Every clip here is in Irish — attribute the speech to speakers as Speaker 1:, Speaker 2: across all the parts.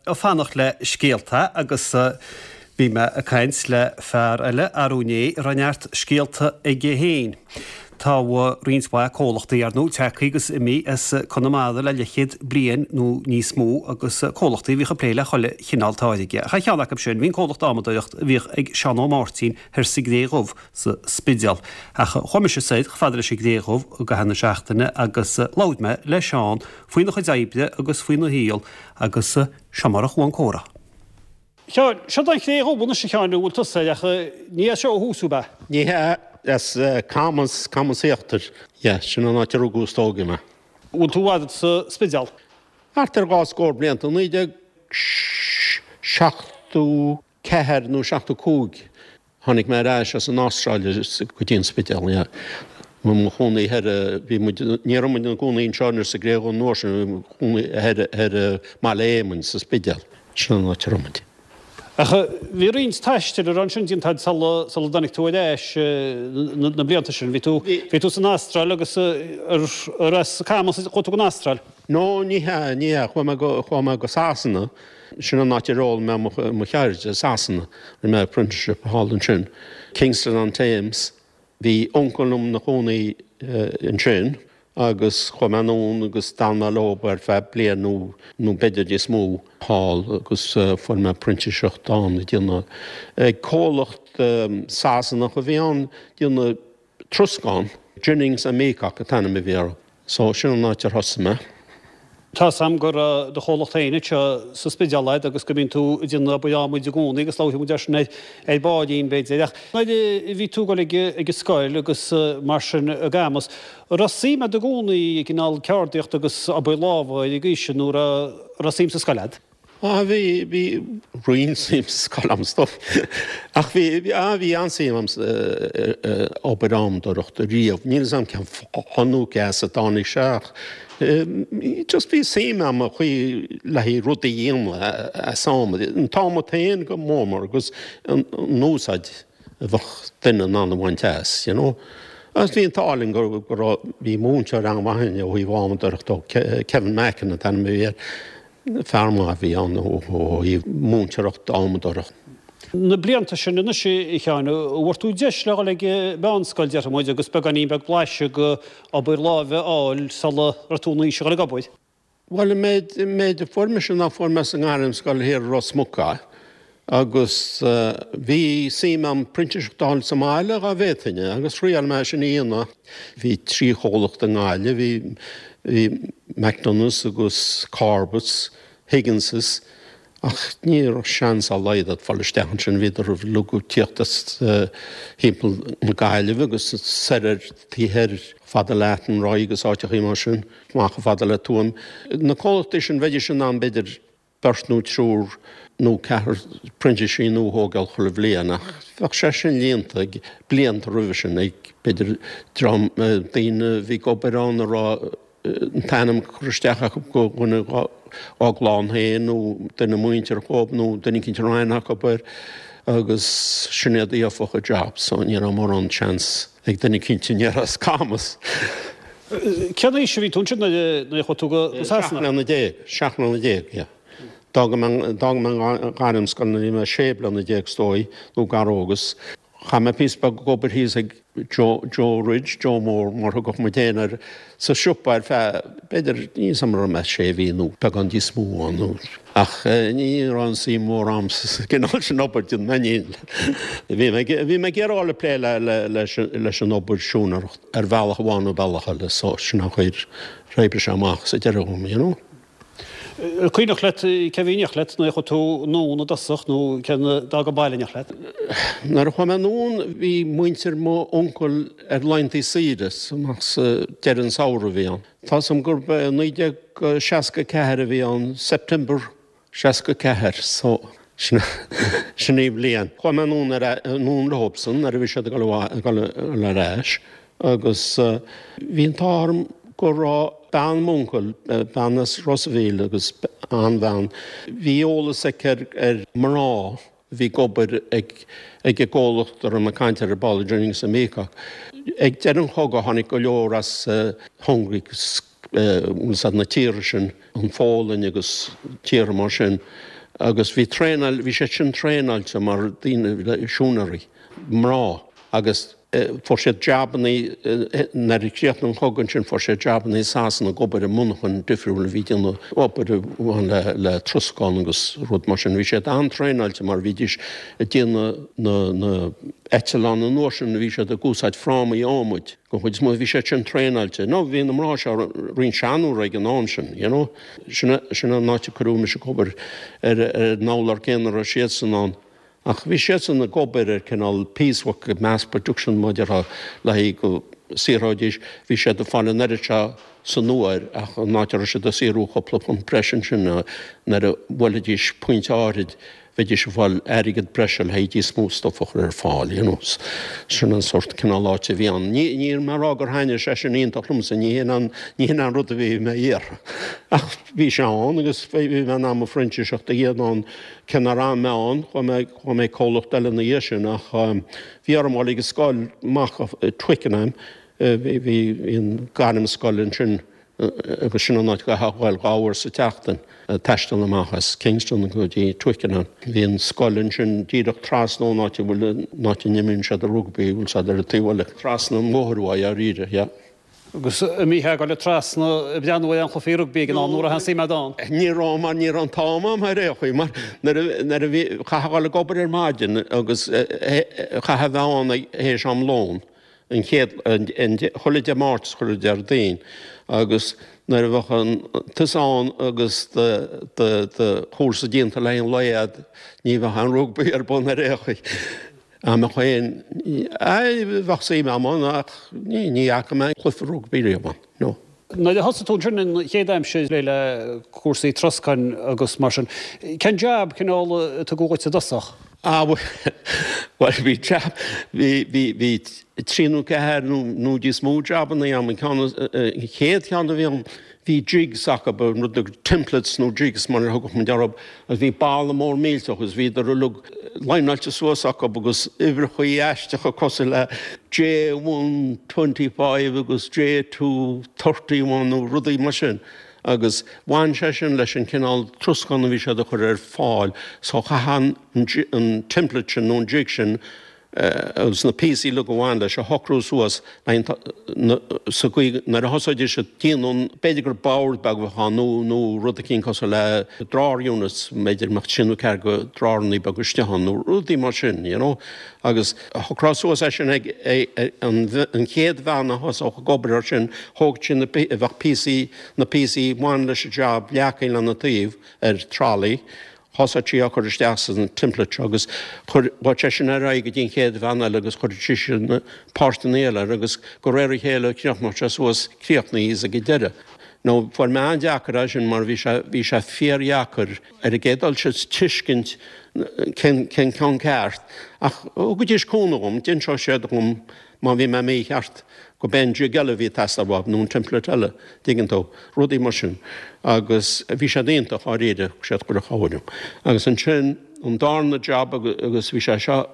Speaker 1: ag fanacht le scéalta agus bhí mé ag caint le fear eile arú inné a raibh neart scéalta aige féin. Tá roinnt mhaith comhlachtaí, ar ndóigh, tagtha agus imithe as Conamara le leathchéad bliain nó níos mó agus comhlachtaí a bhíodh ag plé le chuile chineál táirge. Ach ar cheann acu sin, bhí an comhlacht adhmadóireacht a bhíodh ag Seán Ó Máirtín thoir sa gCré Dhubh sa Spidéal. Ach chuaigh mise soir chomh fada leis an gCré Dhubh i gcaitheamh na seachtaine agus labhair mé le Seán faoina chuid oibre agus faoina shaol agus seo mar a chuaigh an comhrá. Sheáin, seo an Chré Dhubh anois a Sheáin a bhfuil tusa air ach ní as seo ó thús thú, ab ea?
Speaker 2: Ní hea, as Camas, Camas Íochtar, yeah, sin an áit a rugadh is tógadh mé.
Speaker 1: Bhfuil tú i bhfad sa Spidéal?
Speaker 2: Thart ar dhá scór blianta, 1974 nó 75. Tháinig mé ar ais as an Astráil go dtí an Spidéal, yeah. Bhí mo chónaí thoir, bhí muid, ní raibh muid ina gcónaí anseo anois sa gCré Dhubh an uair sin, bhí mo chónaí thoir thoir i mBaile Éamainn sa Spidéal. Sin an áit a raibh muid.
Speaker 1: Ach bhí roinnt taistil ar ansin déanta agat sula sula dtáinig tú ar ais na blianta sin. Bhí tú bhí tú san Astráil agus ar ar as Camas a chuaigh tú go an Astráil?
Speaker 2: No, ní hea, ní hea. Chuaigh mé go, chuaigh mé go Sasana. Sin an áit ar fhoghlaim mé mo, mo cheird, i Sasana. Rinne mé apprenticeship thall ansin. Kingston on Thames. Bhí uncail liom 'na chónaí ansin agus chuaigh mé anonn agus d'fhan mé leo ar feadh bliain nó, nó b'fhéidir níos mó thall agus fuair mé printíseacht ann ag déanamh, ag comhlacht Sasanach a bhí ann, déanamh Troscán, Jennings and Meacock an t-ainm a bhí orthu. So, sin an áit ar thosaigh mé.
Speaker 1: Tá's a'm go raibh do chomhlacht féin anseo sa Spidéal a'd agus go mbíonn tú ag déanamh obair adhmaid i gcónaí agus labharfaidh muid air sin ar baillín b'fhéidir. Ach nuair a bhí tú ag dul ag ag an scoil agus mar sin i gCamas, an raibh suim a'd i gcónaí i gcineál ceardaíocht agus obair lámha ar an gcaoi sin nó an raibh suim sa scoil a'd?
Speaker 2: Ah bhí, bhí roinnt suim sa scoil a'm is dóigh. Ach bhí, bhí, ah bhí an-suim a'm sa obair adhmadóireachta riamh. Níl 'fhios a'm cén fáth nó cé as a dtáinig sé ach just bhí suim a'm an chaoi le haghaidh rudaí a dhéanamh as adhmad. An t-adhmad féin go mór mór agus an úsáid a bheadh duine in ann a bhaint as, you know. Agus bhí an t-ádh linn go raibh, bhí múinteoir an-mhaith againn ó thaobh adhmadóireachta, Kevin Mackin an t-ainm a bhí air. Fear maith a bhí ann ó thaobh múinteoireacht adhmadóireachta.
Speaker 1: Na blianta sin anois, a Sheáin, an bhfuair tú deis le dhul ag meánscoil, déarfaidh muid, agus beagáinín beag blaiseadh de obair láimhe a fháil sula raibh tú in aois a dhul ag obair?
Speaker 2: Bhuel, an méid, an méid a fuair mise ná fuair mé sa ngairmscoil thiar i Ros Muc é agus bhí suim a'm printíseacht a fháil sa mbaile dhá bhféadfainn é agus thriail mé sin a dhéanamh. Bhí trí chomhlacht i nGaillimh, bhí, bhí McDonagh's agus Corbett's, Higgins's, ach ní raibh seans dá laghad agat fáil isteach ansin, bhíodar uilig ag tíocht as thimpeall na Gaillimhe agus soir ar taobh thoir fada le Athenry agus áiteachaí mar sin, amach chomh fada le Tuaim. Na comhlachtaí sin, bheidís in ann b'fhéidir beirt nó triúr nó ceathrar printísigh nua a thógáil chuile bhliain ach bheadh sé sin líonta ag blianta roimhe sin ag b'fhéidir dream daoine a bhí ag obair ann a raibh an t-ainm curtha isteach acu go dhuine dá gclann féin nó duine muinteartha dhóibh nó duine eicínt a raibh aithne acu air agus sin iad a gheobhadh an job so ní raibh mórán seans ag duine eicínt a ní as Camas.
Speaker 1: Cén aois a bhí tú ansin nuair a chuaigh tú go
Speaker 2: Sasana? 17 mbliana, 17 mbliana, yeah. D'fhág mé, d'fhág mé an ghairmscoil nuair a bhí mé 16 bliana is dóigh, nó gar dó agus chaith mé píosa beag ag obair thíos ag Joe, Joe Ridge, Joe Mór mar a thugadh muid féin air, sa siopa ar feadh, b'fhéidir, níl 'fhios a'm an raibh mé sé mhí nó beagán níos mó ann nó, ach ní raibh an suim mhór a'm sa gcineál sin obair, déanfaidh mé ní, bhí mé, bhí mé ag iarraidh ag plé le, le, leis, leis an obair siúinéireacht. ar bhealach amháin nó bealach eile so sin an chaoi ar oibrigh sé amach sa deireadh dhom, you know.
Speaker 1: An cuimhneach leat cé a bhí in éineacht leat nuair a chuaigh tú anonn i dtosach nó cé a d'fhág an baile in éineacht leat?
Speaker 2: Nuair a chuaigh mé anonn bhí muintir m'uncail ar laethanta saoire amach sa deireadh an samhradh a bhí ann. Tá 'fhios a'm gurb é 1964 a bhí ann, September 64 so sin sin í an bhliain. Chuaigh mé anonn ar anonn leobsan nuair a bhí siad ag dul ag dul ar ais agus bhí an t-ádh orm go raibh bean m'uncail, bean as Ros a' Mhíl agus an-bhean, bhí eolas aici ar ar mná a bhí ag obair ag ag an gcomhlacht a raibh mé ag caint air ar ball, Jennings and Meacock. Ag deireadh an chogaidh tháinig go leor as Hungary. Bhfuil 's a'd na tíortha sin, an Pholainn agus tíortha mar sin, agus bhí traenáil, bhí siad sin traenáilte mar daoine, siúinéirí, mná, agus fuair siad jabannaí, nuair a chríochnaigh an cogadh ansin fuair siad jabannaí i Sasana ag obair i monarchain difriúil a bhí ag déanamh obair a bhain le le troscán agus rud mar sin. Bhí siad an-traenáilte mar bhídís ag déanamh na na eitleáin an uair sin bhí siad ag úsáid frámaí adhmaid. Don chuid is mó bhí siad sin traenáilte. Nó bhí na mná seo roinnt seanóra ag an am sin, you know. Sin sin an áit a cuireadh mise ag obair ar ar an urlár céanna a raibh siadsan ann. Ach bhí siadsan ag obair ar cineál piecework mass production mar a déarfá le haghaidh go saothróidís, bhí siad ag fáil an oiread seo san uair ach an áit a raibh siad ag saothrú cúpla punt breise ansin nuair a bhuailfidís pointe áirid bheidís ag fáil airgead breise le haghaidh níos mó stuff a chur ar fáil, you know. Sin an sórt cineál áit a bhí ann. Ní, níl mé ag rá gur thaitnigh sé sin iontach liomsa, ní hin an, ní hin an rud a bhí mé a iarraidh. Ach bhí sé ann agus bhí mé in ann mo phrintíseacht a dhéanamh ann, cé nár fhan mé ann, chuaigh mé, chuaigh mé ag comhlacht eile ina dhiaidh sin ach bhí orm dul ag an scoil amach i Twickenham, bhí, bhí an gairmscoil ansin agus sin an áit a gcaithfeá a ghoil dhá uair sa tseachtain, taisteal amach as Kingston go dtí Twickenham. Bhí an scoil ansin díreach trasna ón áit a bhfuil, an áit a n-imríonn siad an rugbaí, bhfuil 's a'd ar an taobh eile, trasna an bhóthair uaidh, dháiríre, yeah.
Speaker 1: Agus an mbítheá ag goil trasna ag breathnú ar aon chluichí rugbaí ag an am nó an raibh aon suim a'd ann?
Speaker 2: Ní raibh mar ní raibh an t-am a'm ar aon chaoi mar nuair a nuair a bhí, chaithfeá a ghoil ag obair ar maidin agus chaithfeá a bheith ann théis am lóin. an chéad, an, chuile Dé Máirt is chuile Déardaoin agus nuair a bheadh an, tusa ann agus do, do, do chúrsa déanta le haghaidh an lae a'd, ní bheadh aon rugbaí ar bun ar aon chaoi. Dá mbeadh aon, aye, bheadh suim a'm ann ach ní, ní fhaca mé cluiche rugbaí riamh ann, no.
Speaker 1: Nuair a thosaigh tú ansin an chéad aimsir le cúrsaí troscáin agus mar sin, cén jab cineál a tugadh dhuit i dtosach?
Speaker 2: Ah bhuel bhí jab, bhí, bhí, bhí trí nó ceathair nó, nó níos mó jabanna a'm, an ceann, an chéad cheann a bhí a'm, bhí jigs acu, an rud, templates nó jigs mar a thugadh muid orthu, agus bhí balla mór millteach agus bhíodar uilig líneáilte suas acu agus uimhreachaí aisteacha cosúil le J one 25 agus J 2 31 nó rudaí mar sin agus bhain sé sin leis an cineál troscán a bhí siad a chur ar fáil so chaithfeá an template sin nó an jig sin agus na píosaí uilig a bhain leis a shocrú suas sa gcaoi nuair a thosóidís ag déanamh an, b'fhéidir gur bord beag a bheadh ann nó nó rud eicínt cosúil le drawer units, b'fhéidir mbeadh trí nó ceathair de drawerannaí beaga istigh ann nó rudaí mar sin, you know. Agus shocrófá suas é sin ag an an chéad bhean a thosódh ag obair air sin, thóg sí na, bheadh píosaí, na píosaí a bhain leis an job leagtha lena taobh ar trolley, Thosaigh sí á chur isteach san template seo agus chuir chuaigh sé sin ar aghaidh go dtí an chéad bhean eile agus chuir sise na páirteanna eile air agus de réir a chéile chríochnaigh sé suas críochnaithe ag an deireadh. Now fuair mé an-deacair é sin mar bhí sé bhí sé fíordheacair ar an gcéad dul síos tuiscint cén cén ceann ceart ach thugaidís cúnamh dhom, d'inseodh siad dhom Má bhí mé mícheart, go b'é an jig eile a bhí ag teastáil uathu, nó an template eile, dtuigeann tú, rudaí mar sin. Agus bhí siad iontach dháiríre, thug siad chuile chabhair dom. Agus ansin, an darna jab, agus bhí sé seo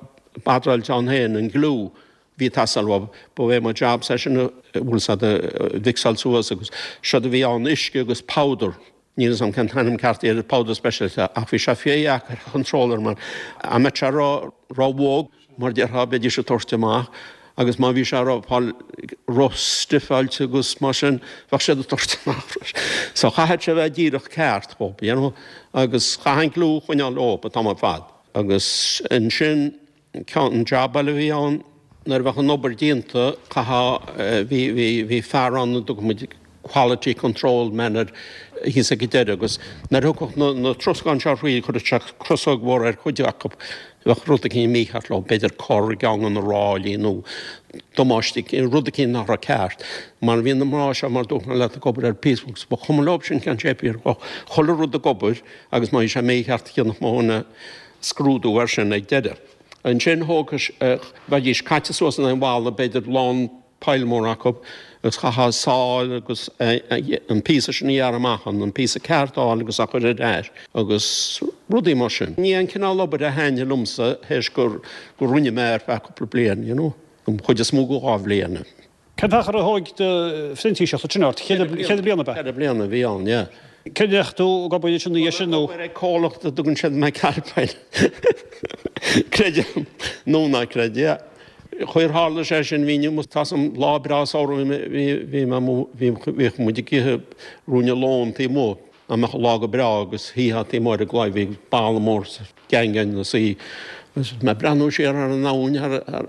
Speaker 2: badráilte ann féin, an gliú a bhí ag teastáil uathu, ba é mo jab é sin a, bhfuil 's a'd, a mhixáil suas agus séard a bhí ann, uisce agus powder. Níl 'fhios a'm cén t-ainm ceart ar powder speisialta ach bhí sé fíordheacair a chontrol air mar dá mbeadh sé ró-bhog mar déarfá bheidís ag tabhairt amach agus má bhí sé ró ró-stiffáilte agus mar sin bheadh siad ag tabhairt amach freisin. So chaithfeadh sé bheith díreach ceart dhób, you know, agus chaithfeá an gliú a choinneáil leob an t-am ar fad. Agus ansin Ceann, an jab eile a bhí ann, nuair a bheadh an obair déanta, chaithfeá, bhí, bhí, bhí fear ann a dtugadh muid quality control man air thíos ag an deireadh agus nuair a thiocfadh na, na troscáin seo thríd, chuireadh sé crosóg mhór ar chuid acu, bheadh rud eicínt mícheart leo, b'fhéidir cor i gceann de na ráillí nó damáiste, rud eicínt nach raibh ceart. Mar bhí na mná seo, mar dúirt mé leat, ag obair ar piecework, ba chuma leo sin cén shape a bhí air, chuile rud ag obair agus má bhí sé mícheart, dhéanfadh mo dhuine scrúdú air sin ag deireadh. Ansin thógfadh, bheidís caite suas in aghaidh an bhalla, b'fhéidir lán pile mór acu, agus chaithfeá sáil agus an píosa sin a ghearradh amach, an píosa ceart a fháil agus a chur ar ais agus rudaí mar sin. Ní an cineál obair a thaitnigh liomsa théis gur rinne mé ar feadh cúpla bliain, you know, an chuid is mó de dhá bhliain.
Speaker 1: Cén fáth ar thóg do phrintíseacht ansin ort? Cheithre bliana ab ea?
Speaker 2: Cheithre bliana a bhí ann, yeah.
Speaker 1: Cé ndeachaigh tú ag obair ansin ina dhiaidh sin nó?
Speaker 2: Obair ag comhlacht a dtugann siad McAlpine. Creid é nó ná creid, yeah. Chaoi ar tharla sé sin, bhínn amuigh, tá 's a'm, lá breá samhraidh bhí mé amuigh, bhíodh muid ag ithe ruainne lóin taobh amuigh, dá mbeadh an lá go breá agus shuífeá taobh amuigh ar an gclaí, bhí balla mór sa daingean ina suí agus mé ag breathnú siar thar an abhainn,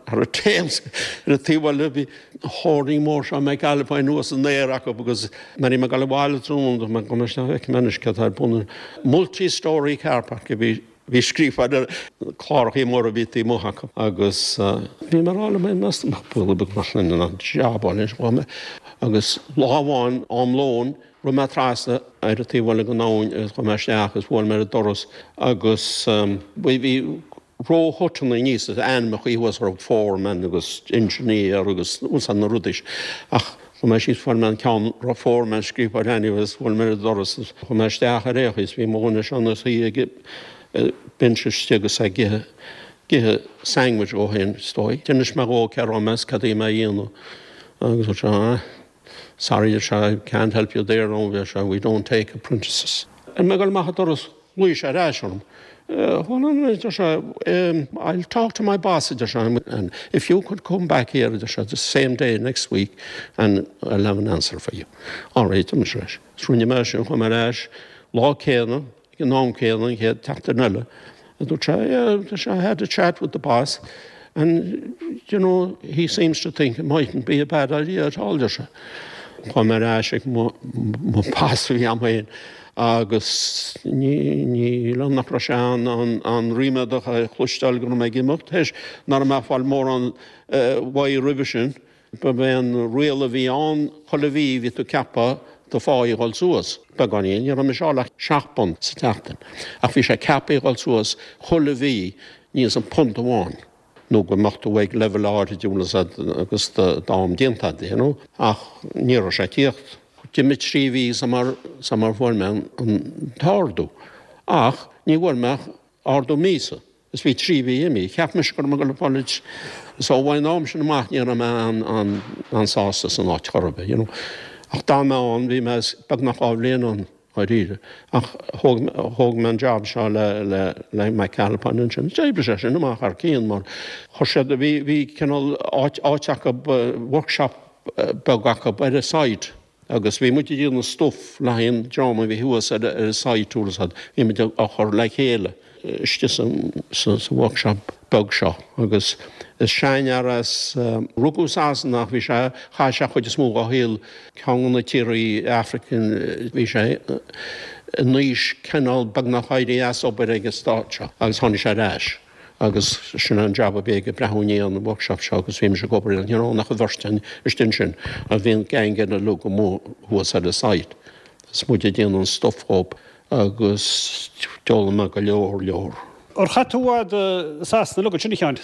Speaker 2: thar an Thames, ar an taobh eile bhí hoarding mór seo McAlpine thuas san aer acu agus nuair a bhí mé ag dul abhaile tráthnóna dúirt mé gabhfaidh mé isteach feicfidh mé anois céard atá ar bun. Multi-storey car park a bhí Bhí scríofa ar na clárachaí móra a bhí taobh amuigh acu agus bhí mé ag rá liom féin, meas tú nach baol beag nach mbeinn in ann jab a fháil anois dhá mbeadh. Agus lá amháin, am lóin, rith mé trasna ar an taobh eile den abhainn agus chuaigh mé isteach agus bhuail mé ar an doras agus bhí róthuiteanna aníos is ainmneacha thuas orthu, foreman agus engineer agus na rudaí ach Chuaigh mé síos, fuair mé an ceann a raibh foreman scríofa air anyway agus bhuail mé ar an doras agus chuaigh mé isteach ar aon chaoi is bhí mo dhuine seo ina shuí ag binse istigh agus é ag ithe, ag ithe sandwich dhó féin is dóigh. D'inis mé dhó cé raibh mé is cad a bhí mé a dhéanamh agus dúirt sé ah sorry a deir sé I can't help you there now a deir sé we don't take apprentices. Ar mé ag dul amach an doras Ghlaoigh sé ar ais orm. Hold on a minute, a deir sé, I'll talk to my boss, a deir sé, and if you could come back here, a deir sé, the same day next week and I'll have an answer for you. All right, a mise leis. Is rinne mé sin, chuaigh mé ar ais lá céanna, ag an am céanna, an chéad tseachtain eile. A dúirt sé, yeah, a deir sé, I had a chat with the boss and, you know, he seems to think it mightn't be a bad idea at all, a deir sé. Chuaigh mé ar ais ag mo boss a bhí a'm féin agus ní liom nach raibh sé an-ríméadach a chloisteáil go raibh mé ag imeacht, théis nach raibh mé ag fáil mórán uaidh roimhe sin. Ba é an riail a bhí ann chuile mhí bhí tú ceaptha do phá a dhul suas beagáinín, ní raibh mise ag fáil ach seacht bpunt sa tseachtain ach bhí sé ceaptha a dhul suas chuile mhí aníos an punt amháin nó go mbeadh tú ag leibhéal áirid agus d'am déanta agat, you know. Ach ní raibh sé ag tíocht. D'imigh 3 mhí sula bhfuair mé an t-ardú. Ach ní bhfuair mé ach ardú míosa. Is bhí 3 mhí imithe. Cheap mise go raibh mé ag dul ag fáil So ón am sin amach ní raibh mé an-sásta san áit chor ar bith, you know. Ach d'fhan mé ann, bhí mé beagnach 2 bhliain ann dháiríre. Ach thóg, thóg mé an job seo le, le, le McAlpine ansin. D'oibrigh sé sin amach thar cionn mar chuir siad, bhí, bhí cineál áit, áit acu, workshop beag acu ar an site agus bhí muid ag déanamh stuff le haghaidh an dream a bhí thuas ar an site bhfuil 'fhios a'd, bhí muid á chur le chéile istigh sa workshop beag seo agus is seanfhear as, rugadh i Sasana ach bhí sé, chaith sé chuid is mó dá shaol ceann de na tíorthaí African, bhí sé in aois cineál beagnach éirí as obair ag an stát seo agus tháinig sé ar ais. Agus sin an jab a bhí aige, breathnú i ndiaidh an workshop seo agus bhí mise ag obair ann, ní raibh ann ach an bheirt againn istigh ansin agus bhí an gang eile uilig amuigh thuas ar an site is muid ag déanamh an stuff dhób agus d'fhoghlaim mé go leor leor.
Speaker 1: Ar chaith tú i bhfad i Sasana uilig ansin, a Sheáin?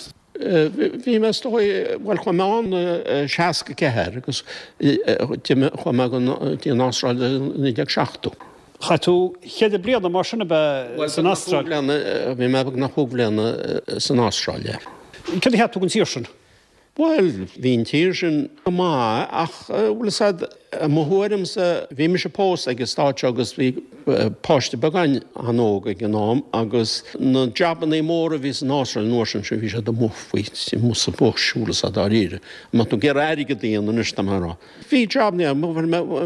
Speaker 2: Bhí mé is dóigh, bhuel chuaigh mé ann i 64 agus d'imigh, chuaigh mé go dtí an Astráil i 1970.
Speaker 1: Chaith tú cheithre bliana mar sin ab ea san Astráil?
Speaker 2: Bhí mé beagnach chúig bhliana san Astráil, yeah.
Speaker 1: Céard a cheap tú den tír sin?
Speaker 2: Bhuel, bhí an tír sin go maith ach, bhfuil 'fhios a'd, i mo thuairimse, bhí mise pósta ag an stát seo agus bhí páiste beag againn an-óg ag an am agus na jabannaí móra a bhí san Astráil an uair sin, bhí siad amuigh faoi, amuigh sa bush, bhfuil 'fhios a'd, dáiríre. Má tá tú ag iarraidh airgead a dhéanamh anois, tá mé a rá. Bhí jab, yeah, I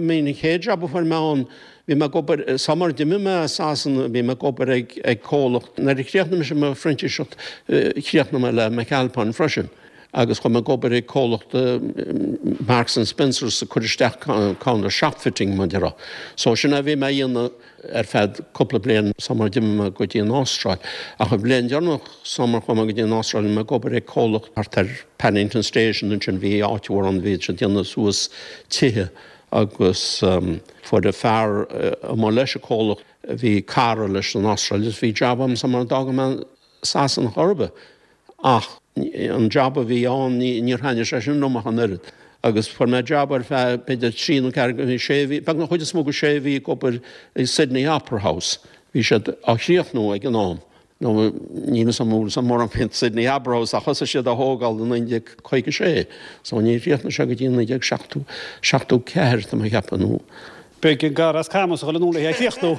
Speaker 2: mean an chéad jab a fuair mé ann, bhí mé ag obair, sumar d'imigh mé as Sasana, bhí mé ag obair ag, ag comhlacht, nuair a chríochnaigh mise mo phrintíseacht, chríochnaigh mé le McAlpine freisin agus chuaigh mé ag obair ag comhlacht Marks and Spencer's ag cur isteach kind of shop fitting mar a déarfá. So sin é a bhí mé a dhéanamh ar feadh cúpla bliain sumar d'imigh mé go dtí an Astráil. Ach an bhliain deireanach sumar chuaigh mé go dtí an Astráil bhí mé ag obair ag comhlacht thart ar Paddington Station ansin bhí áit mhór ann bhí siad ag déanamh suas tithe agus fuair an fear amuigh leis an comhlacht bhí cara leis san Astráil agus bhí jab agam sumar d'fhága mé Sasana chor ar bith. Ach an jab a bhí ann, níor thaitnigh sé sin liom ach an oiread. Agus fuair mé jab ar feadh b'fhéidir trí nó ceathair, sé mhí, beagnach chuid is mó de sé mhí ag obair i Sydney Opera House. Bhí siad á chríochnú ag an am. Nó níl 'fhios a'm an bhfuil 'fhios a'd mórán faoin Sydney Harbour House ach thosaigh siad á thógáil i 1956 so níor chríochnaigh sé go dtí 1974 tá mé a cheapadh nó
Speaker 1: Beidh an cara as Camus a dhul anonn le é a chríochnú.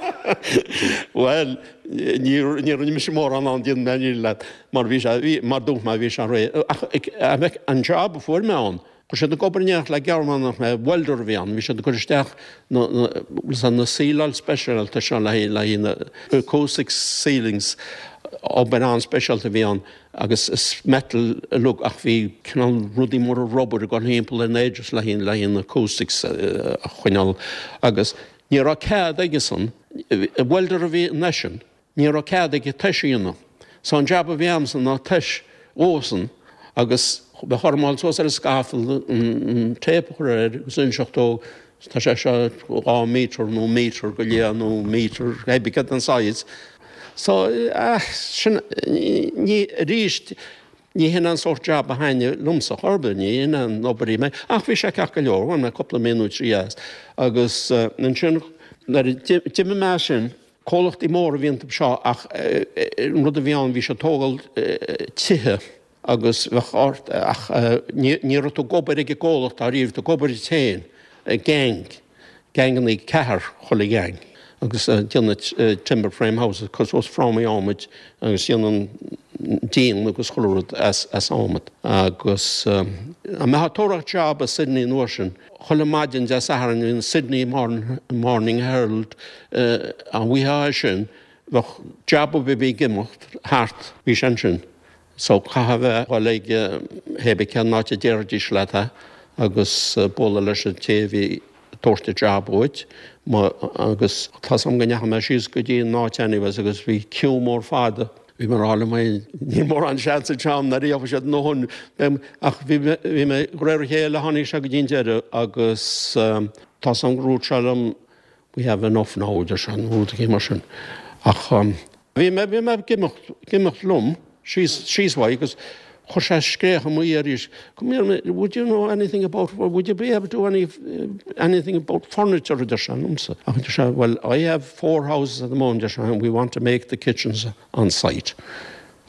Speaker 2: Bhuel, ní rinne mise mórán ann déanfaidh mé an fhírinne leat mar bhí sé, bhí, mar dúirt mé, bhí sé réidh. Ach an job a fuair mé ann, Chuir siad ag obair in éineacht le Gearmánach mé, welder a bhí ann, bhí siad ag cur isteach na, na, na síleáil speisialta seo le haghaidh, le haghaidh na acoustic ceilings, obair an-speisialta a bhí ann agus is metal uilig ach bhí cineál rudaí móra rubair ag dul thimpeall ar na edges le haghaidh, le haghaidh na acoustics a choinneáil agus ní raibh cead aigesan, welder a bhí eisean, Ní raibh cead aige tois a dhéanamh. So an jab a bhí a'msa ná tois dhósan agus bheadh orm a dhul suas ar an scaffold an tape a chur air agus inseacht dó tá sé seo 2 metre nó metre go leith nó metre cibé cad an size. So ah sin ní arís ní hin an sórt jab a thaitneodh liomsa chor ar bith, ní hin an obair í mé ach bhí sé ceart go leor, bhain mé cúpla mí nó trí as agus ansin nuair a d'imigh mé as sin Comhlachtaí móra a bhí iontu seo ach an rud a bhí ann bhí siad ag tógáil tithe agus bheadh ort ach ní raibh tú ag obair ag an gcomhlacht dáiríre, bhí tú ag obair duit féin, gang, gangannaí ceathrar chuile gheaing agus déanamh timber frame houses, cur suas frámaí adhmaid agus déanamh an díon agus chuile rud as adhmad agus dá mbeifeá ag tóraíocht job i Sydney an uair sin Chuile maidin Dé Sathairn bhí an Sydney Morning Herald an bhfaighfeá é sin, bheadh jab ar bith a bhí ag imeacht thart, bhí sé ansin. So chaithfeá bheith dhul ag hé bith cén áit a déarfaidís leat é agus bualadh leis an té a bhí ag tabhairt an jab dhuit. Agus tá's agam go ndeachaigh mé síos go dtí an áit anyways agus bhí queue mór fada. Bhí mé ag rá liom féin, níl mórán seans anseo agam nuair a gheobhaidh siad a ndóthain. Ach bhí mé, de réir a chéile tháinig sé go dtí an deireadh agus tá's agam gur dhúirt sé liom we have enough now, a deir sé, nó rud éigin mar sin. Ach bhí mé, bhí mé ag imeacht, ag imeacht liom síos, síos uaidh agus chuir sé scréach i mo dhiaidh arís, come here, would you know anything about, would you be able to do any, anything about furniture, a deir sé liomsa. Ach deir sé, well, I have four houses at the moment, deir sé, and we want to make the kitchens on site.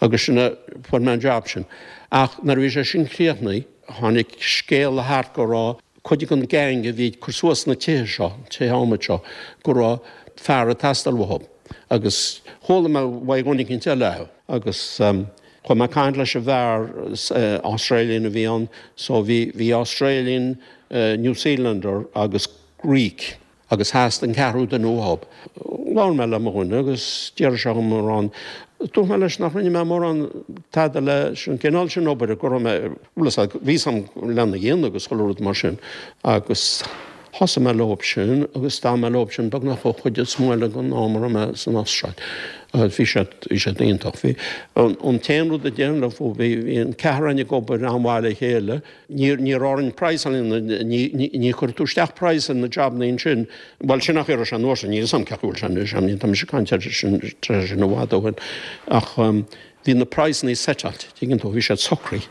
Speaker 2: Agus sin a, fuair mé an job sin. Ach nuair a bhí sé sin críochnaithe, tháinig scéala thart go raibh cuid den gang a bhí ag cur suas na tithe seo, tithe adhmaid seo, go raibh fear ag teastáil uathu. Agus chuala mé uaidh dhuine eicínt eile é. Agus Chuaigh mé ag caint leis an bhfear, Australian a bhí ann, so bhí, bhí Australian, New Zealander agus Greek agus theastaigh an ceathrú duine uathub. Labhair mé le mo dhuine agus d'iarr sé dhom mórán, dúirt mé leis nach rinne mé mórán tada leis an gcineál sin obair, go raibh mé, bhuel is bhí 'fhios a'm lena dhéanamh agus chuile rud mar sin agus Thosaigh mé leob sin agus d'fhan mé leob sin beagnach an chuid is mó eile den am a raibh mé san Astráil. Bhí siad, bhí siad iontach. Bhí, an t-aon rud a déarfainn leo fúthu, bhí, bhí an ceathrar againn ag obair an-mhaith le chéile. Ní, ní raibh orainn praghas, ní, ní, ní chuirfeadh tú isteach praghas ar na jabannaí ansin, bhuel sin nach raibh sé an uair sin, níl 'fhios a'm cén chaoi a bhfuil sé anois, I mean tá mise ag caint air sin, tar éis sin i bhfad ó shin ach bhí na praghsannaí seiteáilte, tuigeann tú, bhí siad socraithe.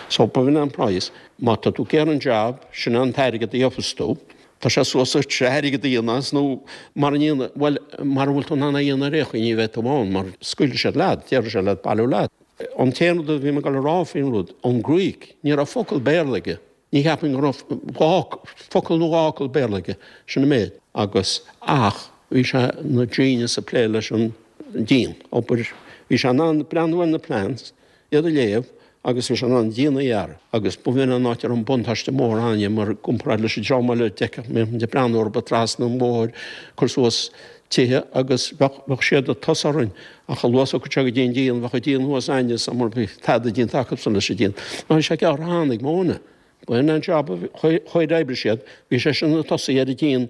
Speaker 2: So b'in an praghas. Má tá tú ag iarraidh an jab, sin é an t-airgead a gheobhas tú. Tá sé suas duit airgead a dhéanamh as nó mara ndéana, bhuel, mara bhfuil tú in ann é a dhéanamh ar aon chaoi ní bheidh tú ann mar scaoilfidh siad leat, déarfaidh siad leat bailiú leat. An t-aon rud a bhí mé ag dul a rá faoin rud, an Greek, ní raibh focal Béarla aige. Ní cheapaim go raibh dhá, focal nó dhá fhocal Béarla aige, sin an méid. Agus, ach, bhí sé ina genius ag plé leis an díon, obair, bhí sé in ann breathnú ar na plans, iad a léamh agus bhí sé in ann díon a dhearadh agus b'in an áit a raibh an buntáiste mór againne mar i gcomparáid leis an dream eile d'fheicfeadh muid ag breathnú orthu trasna an bhóthair ag cur suas tithe agus bheadh bheadh siad ag tosú orainn ach a luaithe is a thiocfadh sé go dtí an díon bheadh an díon thuas againne so mar bhí tada déanta acusan leis an díon. Ná bhí sé gearrtha cheana ag mo dhuine. B'in an job a chuir oibrigh siad bhí sé sin ag tosaí ar an díon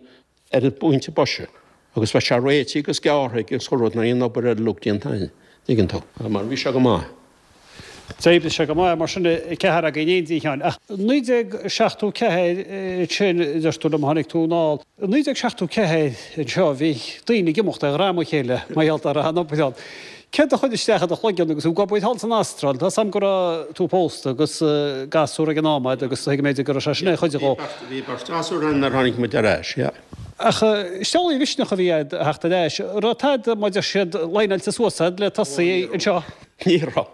Speaker 2: ar an bpointe boise agus bheadh sé réitithe agus gearrtha aige agus chuile rud nuair a bhí an obair uilig déanta againn, tuigeann tú. Mar bhí sé go maith.
Speaker 1: D'oibrigh sé go maith mar sin ceathrar againn in éindí, a Sheáin. Ach 1974 ansin, a deir tú liom, tháinig tú anall. I 1974 anseo bhí daoine ag imeacht ar dhroim a chéile mar gheall ar an obair ann. Céard a chuir isteach i do chloigeann agus tú ag obair thall san Astráil? Tá 's a'm go raibh tú pósta agus gasúr ag an am a'd agus tuigim b'fhéidir go raibh sé sin ar chuid dhó.
Speaker 2: Bhí beirt ghasúr ann nuair a tháinig muid ar ais, yeah.
Speaker 1: Ach is amhlaidh an misneach a bhí a'd a theacht ar ais. Raibh tada, mar deir siad, líneáilte suas a'd le tosaí anseo?
Speaker 2: Ní raibh.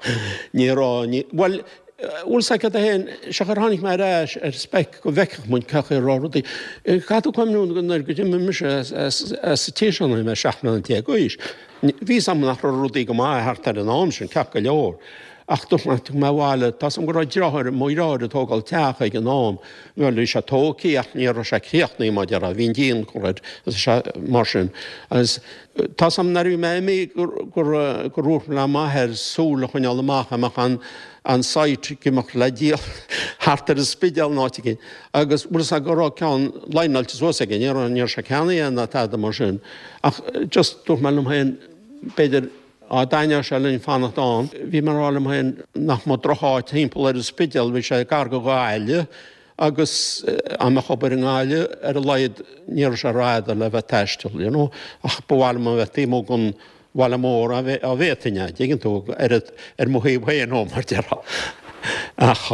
Speaker 2: Ní raibh. Ní, bhuel, bhfuil 's agat féin, siocair tháinig mé ar ais ar speic go bhfeicfeadh muid cén chaoi a raibh rudaí. Caithfidh tú cuimhniú nuair go d'imigh mise as an tír seo nuair a bhí mé 17 mbliana d'aois. Bhí 's a'm nach raibh rudaí go maith thart ar an am sin, ceart go leor. Ach tháinig mé abhaile, tá 's a'm go raibh deartháir, mo dheartháir ag tógáil teach ag an am. Bhuel, bhí sé tógtha ach ní raibh sé críochnaithe mar a déarfá, bhí an díon curtha air agus sé mar sin. Agus tá 's a'm nuair a bhí mé imithe gur gur dhúirt mé le m'athair súil a choinneáil amach, a mbeadh an an site ag imeacht le díol thart ar an Spidéal nó áit éigin. Agus bhfuil 's a'd go raibh ceann líneáilte suas aige, ní raibh ní raibh sé ceannaithe ná tada mar sin. Ach just dúirt mé liom féin, b'fhéidir, Dá dtaitneodh sé linn fanacht ann, bhí mé ag rá liom féin nach mba drocháit thimpeall ar an Spidéal, bhí sé gar go Gaillimh agus dá mbeadh obair i nGaillimh, ar a laghad ní raibh sé rófhada le bheith ag taisteal, you know, ach ba mhaith liom a bheith taobh amuigh den bhaile mór dá bhféadfainn é, dtuigeann tú, ar ar mo thaobh féin ó, mar déarfá. Ach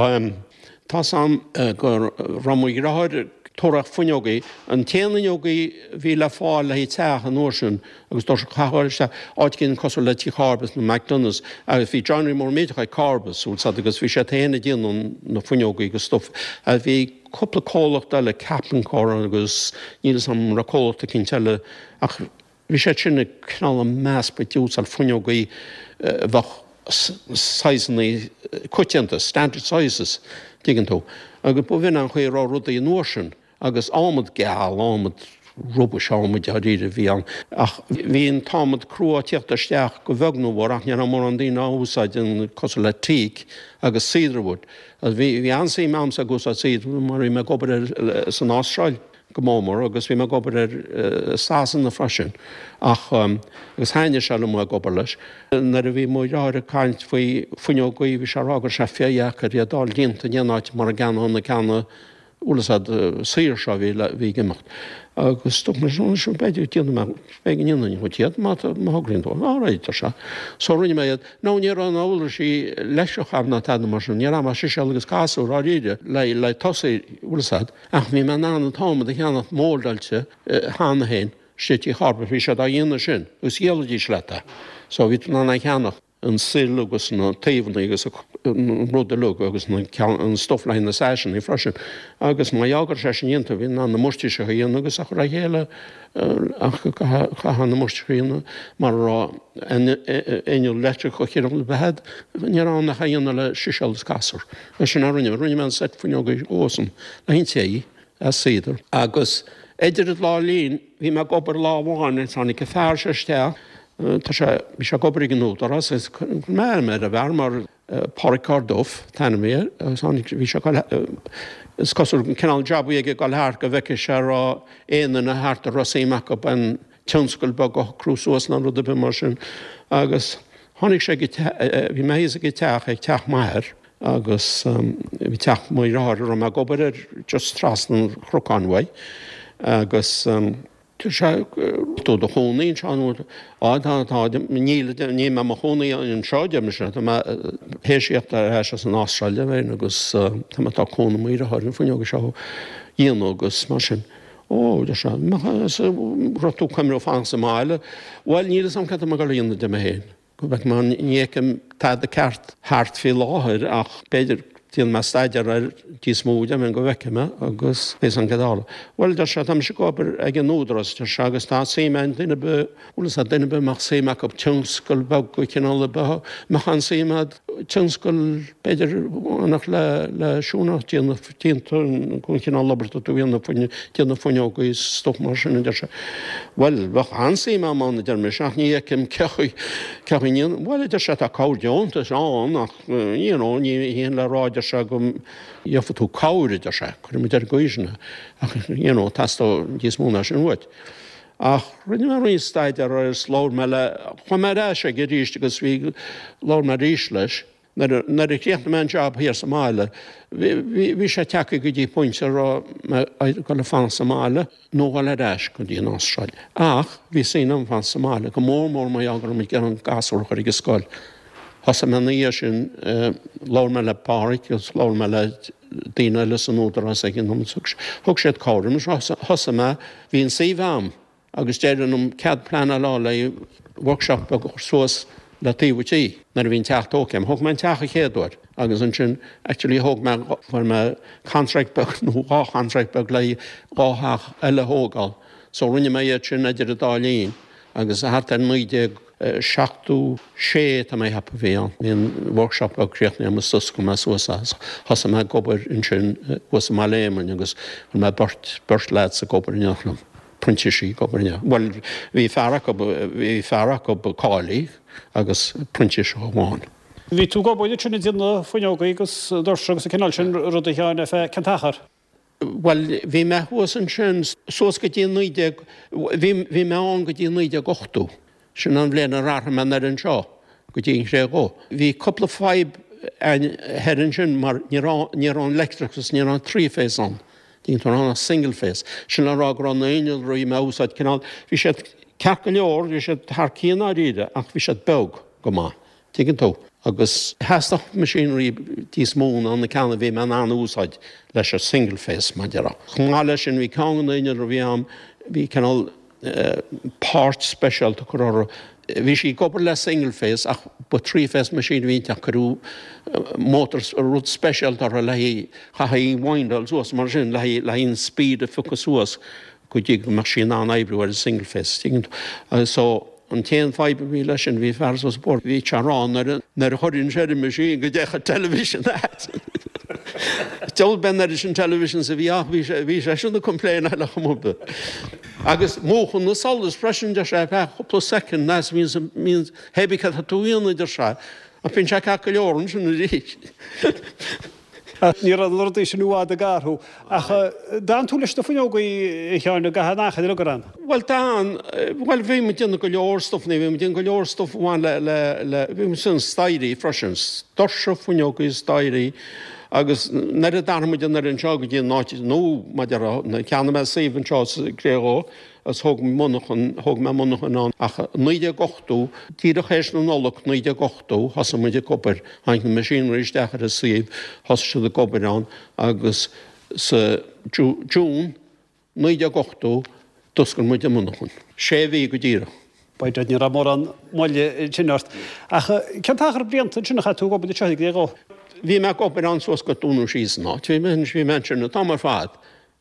Speaker 2: tá's a'm go raibh mo dheartháir ag tabhairt fuinneogaí, an t-aon fhuinneogaí a bhí le fáil le haghaidh teach an uair sin, Agus dúirt sé, caithfidh a ghoil isteach áit éigin cosúil le Tigh Corbett's nó McDonagh's agus bhí joinery mór millteach ag Corbett's, bhfuil 's a'd, agus bhí siad féin ag déanamh na fuinneogaí agus stuff. Agus bhí cúpla comhlacht eile, Capincore agus níl 'fhios a'm an raibh comhlacht eicínt eile ach bhí siad sin ag cineál ag meascadh ag úsáid fuinneogaí a bheadh saghsanna coitianta, standard sizes, tuigeann tú. Agus b'in an chaoi a raibh rudaí an uair sin. Agus adhmad geal, adhmad rubish adhmaid dáiríre a bhí ann. Ach bhí an t-adhmad crua ag tíocht isteach go bheag nó mhór ach ní raibh mórán daoine á úsáid an cosúil le teak agus cedarwood. Agus bhí bhí an-suim a'msa ag úsáid cedarwood mar bhí mé ag obair ar san Astráil go mór mór agus bhí mé ag obair ar i Sasana freisin. Ach agus thaitnigh sé liom ag obair leis. Nuair a bhí mo dheartháir ag caint faoi fuinneogaí bhí sé ag rá go raibh sé fíordheacair iad a fháil déanta in aon áit mura gceannódh na ceanna bhfuil 'fhios a'd, saor seo a bhí le, bhí ag imeacht. Agus dúirt mé, anois b'fhéidir déanfaidh mé, b'fhéidir go ndéanfainn dhuit iad má tá, má thograíonn tú. All right, ar sé. So rinne mé iad. Now ní raibh na uirlisí leictreach a'm ná tada mar sin, ní raibh ach siséal agus casúr dháiríre le, le tosaí, bhfuil 'fhios a'd. Ach bhí mé in ann an t-adhmad a cheannacht móldáilte cheana féin istigh i Tigh Corbett, bhí siad á dhéanamh sin agus dhíolaidís leat é. So bhí tú in ann é a cheannach. an sill agus na taobhanna agus an rud uilig agus an stuff le haghaidh na saiseanna freisin. Agus má fhágadh sé sin déanta, bhí in ann na moirtéiseacha a dhéanamh agus a chur le chéile ach chaithfeá na moirtéiseacha a dhéanamh mura raibh inneall leictreach de chineál ar bith a'd, ní raibh ann ach a dhéanamh le siséal agus casúr. Agus sin a rinne mé. Rinne mé an seit fuinneoga dhósan le haghaidh an tí as cedar. Agus idir an dá linn, bhí mé ag obair lá amháin agus tháinig an fear seo isteach, tá sé, bhí sé ag obair ag an Údarás agus chuir mé aithne ar an bhfear mar Pádraig Corduff an t-ainm a bhí air agus tháinig, bhí sé ag dul, is cosúil an cineál jab a bhí aige ag dul thart go bhfeicfeadh sé an raibh aon duine thart a raibh suim acu in tionscal beag a shocrú suas nó rud ar bith mar sin agus tháinig sé go, bhí mé thíos ag an teach, ag teach m'athar agus bhí teach mo dheartháir a raibh mé ag obair air just trasna an chnocáin uaidh agus tá sé tú do chónaí anseo nó á tá tá níl níl mé mo chónaí anseo deir mise tá mé théis tíocht ar ais as an Astráil féin agus tá mé tá cónaí mo dheartháir an fuinneog seo a dhéanamh agus mar sin. Ó, deir sé, raibh tú cuimhneamh fanacht sa mbaile? Bhuel, níl fhios a'm cad tá mé ag dul a dhéanamh de mé féin. Go bhfeicfidh mé, ní fheicim tada ceart thart faoi láthair ach b'fhéidir déanfaidh mé staidéar air níos mó de go bhfeicfidh mé agus beidh fhios a'm cad a tharla. Bhuel, deir sé, tá mise ag obair ag an Údarás, deir sé, agus tá suim ag duine ar bith, bhfuil fhios a'd, duine ar bith a mbeadh suim acu tionscal beag de chineál ar bith, mbeadh an-suim a'd tionscal b'fhéidir bhainfeadh le le siúinéireacht déanamh déanta an cineál obair atá tú a dhéanamh déanamh fuinneoga is stuff mar sin a deir sé. Bhuel, bheadh an-suim a'm ann a deir mise ach ní fheicim cé chaoi cé chaoi ndéanfainn bhuel a deir sé tá cabhair deontais ann ach you know ní hin le rá a deir sé go gheobhaidh tú cabhair a deir sé, cuirfidh muid ar an gcaoi sin é ach you know teastóidh níos mó ná sin uait. Ach rinne mé roinnt staidéar air is labhair mé le, chuaigh mé ar ais aige arís agus bhí, labhair mé arís leis. Nuair a chríochnaigh mé an jab thiar sa mbaile, bhí sé tagtha go dtí pointe a raibh mé ag dul a fanacht sa mbaile nó dhul ar ais go dtí an Astráil. Ach bhí suim agam fanacht sa mbaile, go mór mór mar gheall go raibh muid ag iarraidh an gasúr a chur ag an scoil. Thosaigh mé ina dhiaidh sin, labhair mé le Pádhraic agus labhair mé le daoine eile san Údarás ag an am, thug siad cabhair dom. Thosaigh mé, bhí an suíomh a'm agus d'éirigh liom cead pleanála a fháil le workshop beag a chur suas le taobh an tí nuair a bhí an teach tógtha a'm. Thóg mé an teach an chéad uair agus ansin actually thóg mé, fuair mé contract beag nó dhá chontract beag le dhá theach eile a thógáil so rinne mé iad sin idir an dá linn. Agus thart ar 1976 tá mé a cheapadh a bhí ann, bhí an workshop beag críochnaithe agam is d'oscail mé suas é. Thosaigh mé ag obair ansin thuas i mBaile Éamainn agus chuir mé beirt, beirt lads ag obair in éineacht liom, printísigh ag obair in éineacht, bhuel bhí fear acu, bhí fear acu cáilithe agus printíseach amháin.
Speaker 1: Bhí tú ag obair ansin ag déanamh fuinneogaí agus doirse agus an cineál sin ruda a Sheáin ar feadh cén t-achar?
Speaker 2: Bhuel, bhí mé thuas ansin suas go dtí 19, bhí, bhí mé ann go dtí 1980. Sin an bhliain ar athraigh mé anoir anseo go dtí an Chré Dhubh. Bhí cúpla fadhb a'inn thoir ansin mar ní raibh, ní raibh an leictreachas, ní raibh an three phase ann. Ní raibh ach single phase. Sin le rá go raibh na innealraí a bhí mé a úsáid cineál, bhí siad ceart go leor, bhí siad thar cionn dáiríre ach bhí siad beag go maith. Tuigeann tú? Agus theastaigh machinery níos mó ná na ceanna a bhí mé in ann a úsáid leis an single phase, mar a déarfá. Chomh maith leis sin, bhí ceann de na innealra a bhí a'm, bhí cineál páirt speisialta curtha orthu. Bhí sí ag obair le single phase ach ba three phase machine a bhí inti ach cuireadh motor, rud speisialta orthu le haghaidh, chaithfí windáil suas mar sin le haghaidh, le haghaidh an speed a phiocadh suas go dtí go mbeadh sí in ann oibriú ar an single phase. Tuigeann tú? So. An t-aon fadhb a bhí leis sin, bhí fear suas an bóthar, bhí sé ag rá nuair a chuirfinn sé ar an machine go dtéadh an television as. Deabhal b'é an oiread sin televisions a bhí ach bhí sé, bhí seisean ag complaináil ar chuma ar bith. Agus múchann an solas freisin, deir sé, ar feadh cúpla soicind, as bhíonn, bhíonn, hé bí cad tá tú a dhéanamh, deir sé, ach bíonn sé ceart go leor ansin arís.
Speaker 1: Ní raibh na rudaí sin i bhfad ag athrú. Ach d'fhan tú leis na fuinneogaí, a Sheáin, i gcaitheamh an achair uilig ar fhan?
Speaker 2: Bhuel, d'fhan. Bhuel, bhí muid ag déanamh go leor stuif, bhí muid ag déanamh go leor stuif a bhain le, le, le, bhí muid ag déanamh staighrí freisin, doirse, fuinneogaí, staighrí agus nuair a d'athraigh muid anoir anseo go dtí an áit nua, mar a déarfá, nuair a cheannaigh mé suíomh anseo sa gCré Dhubh, Agus thóg mé monarchan, thóg mé monarchan ann ach 1980, díreach théis na Nollag 1980, thosaigh muid ag obair, tháinig na machinery isteach ar an suíomh, thosaigh siad ag obair ann agus sa June 1980 d'oscail muid an monarchan. Sé mhí go díreach.
Speaker 1: B'fhéidir ní raibh mórán moille ansin ort. Ach cén t-achar blianta ansin a chaith tú ag obair anseo i gCré Dhubh?
Speaker 2: Bhí mé ag obair ann suas go dúnadh síos an áit. Bhí mé, bhí mé ansin an t-am ar fad.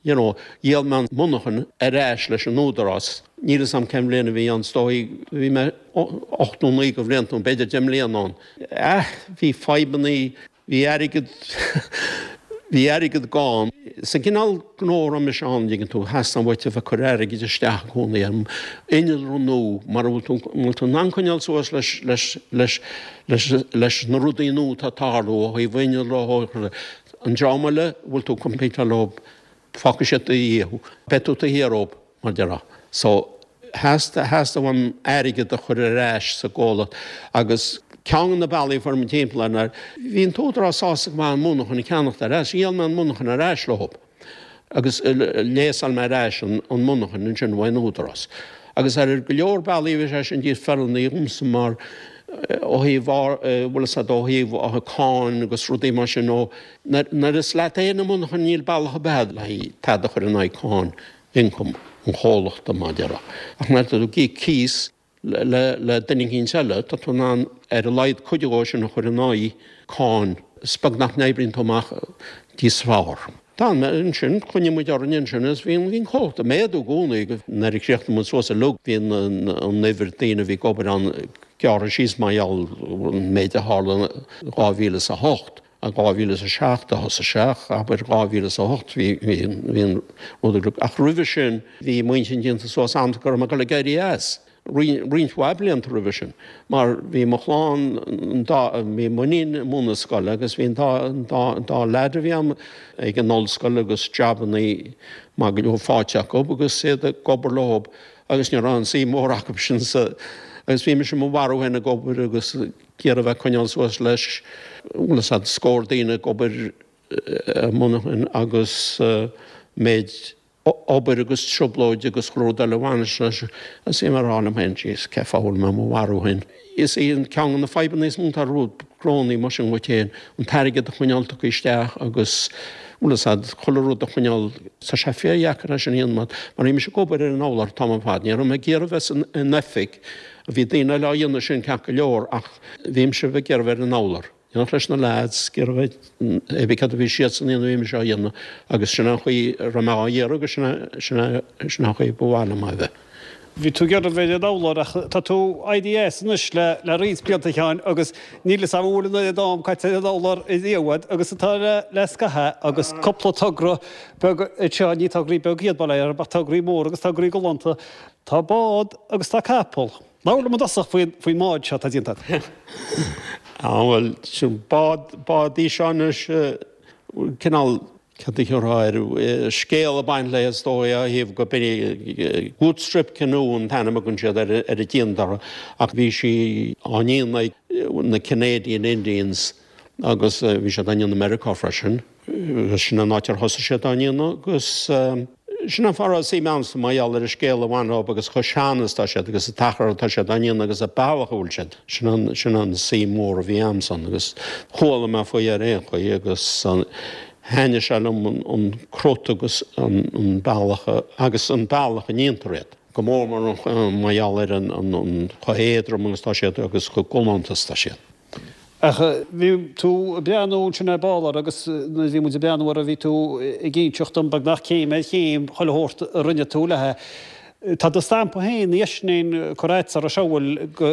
Speaker 2: You know, dhíol mé an mhonarchan ar ais leis an Údarás. Níl 'fhios a'm cén bhliain a bhí ann, is dóigh, bhí mé 8 nó 9 de bhlianta nó b'fhéidir 10 mbliana ann. Ah, bhí fadhbannaí, bhí airgead, bhí airgead gann. Sa gcineál gnó a raibh mise ann, an dtuigeann tú, theastaigh uait a bheith ag cur airgid isteach i gcónaí ar innealra nua mara bhfuil tú, mura bhfuil tú in ann coinneáil suas leis, leis, leis, leis, leis na rudaí nua atá ag tarlú ó thaobh innealra, ó thaobh, An dream eile a bhfuil tú ag competeáil leo, fágfaidh siad i ndiaidh thú. Beidh tú taobh thiar dóibh, mar a déarfá. So, theastaigh, theastaigh uaim airgead a chur ar ais sa gcomhlacht agus ceann de na bealaí a fuair mé timpeall air ná, bhí an t-údarás sásta go maith an mhonarchan a cheannacht ar ais. Dhíol mé an mhonarchan ar ais leo. Agus léasáil mé ar ais an mhonarchan ansin uaidh an Údarás. Agus ar go leor bealaí bhí sé sin níos feiliúnaí dhomsa mar ó thaobh, bhfuil fhios a'd, ó thaobh cáin agus rudaí mar sin ó nuair is leat féin an mhonarchan níl bealach ar bith a'd le haghaidh tada a chur in aghaidh cáin ioncam an chomhlachta mar a déarfá. Ach nuair atá tú ag íoc cíos Le duine eicínt eile, tá tú in ann ar a laghad cuid dhó sin a chur in aghaidh cáin. Is beag nach n-oibríonn tú amach níos fearr. D'fhan mé ansin, choinnigh muid orainn ansin agus bhí an comhlacht ag méadú i gcónaí. Nuair a chríochnaigh muid suas uilig, bhí an uimhir daoine a bhí ag obair ann gearrtha síos mar gheall an méid a tharla in 2008. I 2007 a thosaigh sé ach abair 2008 bhí bhí an rud ag ach roimhe sin bhí m'intinn déanta suas a'm go raibh mé ag dul ag éirí as roinnt mhaith blianta roimhe sin mar bhí mo chlann an dá bhí m'iníon i mbun na scoile agus bhí an dá an dá an dá leaid a bhí a'm ag an ollscoil agus jabannaí maith go leor faighte acu agus iad ag obair leo agus ní raibh aon suim mhór acu sin sa agus bhí mise i mo mharú féin ag obair agus ag iarraidh a bheith ag coinneáil suas leis, bhfuil fhios a'd, scór daoine ag obair i monarchan agus méid. Obair agus trioblóid agus chuile rud eile a bhaineas leis agus bhí mé ag rá liom féin, jeez, cén fáth a bhfuil mé mo mharú féin? Is í an ceann de na fadhbanna is mó atá ar gnónnaí mar sin dhuit féin, an t-airgead a choinneáil tugtha isteach agus, bhfuil fhios a'd, chuile rud a choinneáil, tá sé fíordheacair é sin a dhéanamh mar bhí mise ag obair ar an urlár an t-am ar fad, ní raibh mé ag iarraidh bheith san oifig, bhí daoine eile á dhéanamh sin ceart go leor ach bhí mise ag iarraidh bheith ar an urlár. In éineacht leis na leaids, ag iarraidh bheith, hé bith céard a bhí siadsan a dhéanamh bhí mise á dhéanamh agus sin an chaoi a raibh mé á iarraidh agus sin é, sin an chaoi ba mhaith liom é a bheith.
Speaker 1: Bhí tú ag iarraidh bheith ar an urlár ach tá tú éirithe as anois le le roinnt blianta a Sheáin agus níl fhios a'm an bhfuil an oiread am caite ar an urlár riamh a'd agus atá le le scaitheamh agus cúpla togra beag anseo, ní tograí beaga iad bail ó Dhia orthu ach tograí móra agus tograí galánta. Tá bád agus tá capall. Labhair liom i dtosach faoin faoin mbád seo atá déanta
Speaker 2: agat. Á bhuel, sin bád, bád í seo anois, cineál, cad a thiúrfá air, scéal ag baint léi is dóigh ó thaobh go b'in í, Good Strip Canoe an t-ainm a thugann siad ar ar a déantar ach bhí sí á ndéanamh ag na Canadian Indians agus bhí siad á ndéanamh i Meiriceá freisin. Sin an áit ar thosaigh siad á ndéanamh agus sin an fáth a raibh suim a'msa mar gheall ar an scéal a bhain leo agus chomh sean is atá siad agus an t-achar atá siad á ndéanamh agus an bealach a bhfuil siad. Sin an, sin an suim mhór a bhí a'msa ann agus chuala mé faoi ar aon chaoi agus thaitnigh sé liom an crut agus an bealach agus an bealach a ndéantar iad. Go mór mór mar gheall ar an chomh héadrom agus atá siad agus chomh galánta is atá siad.
Speaker 1: Ach bhí tú ag breathnú ansin ar ball air agus nuair a bhí muid ag breathnú air bhí tú ag inseacht dom beagnach céim ar chéim chuile shórt a rinne tú léi. Tá do stampa féin, a dheisnéin curtha agat ar an shamhail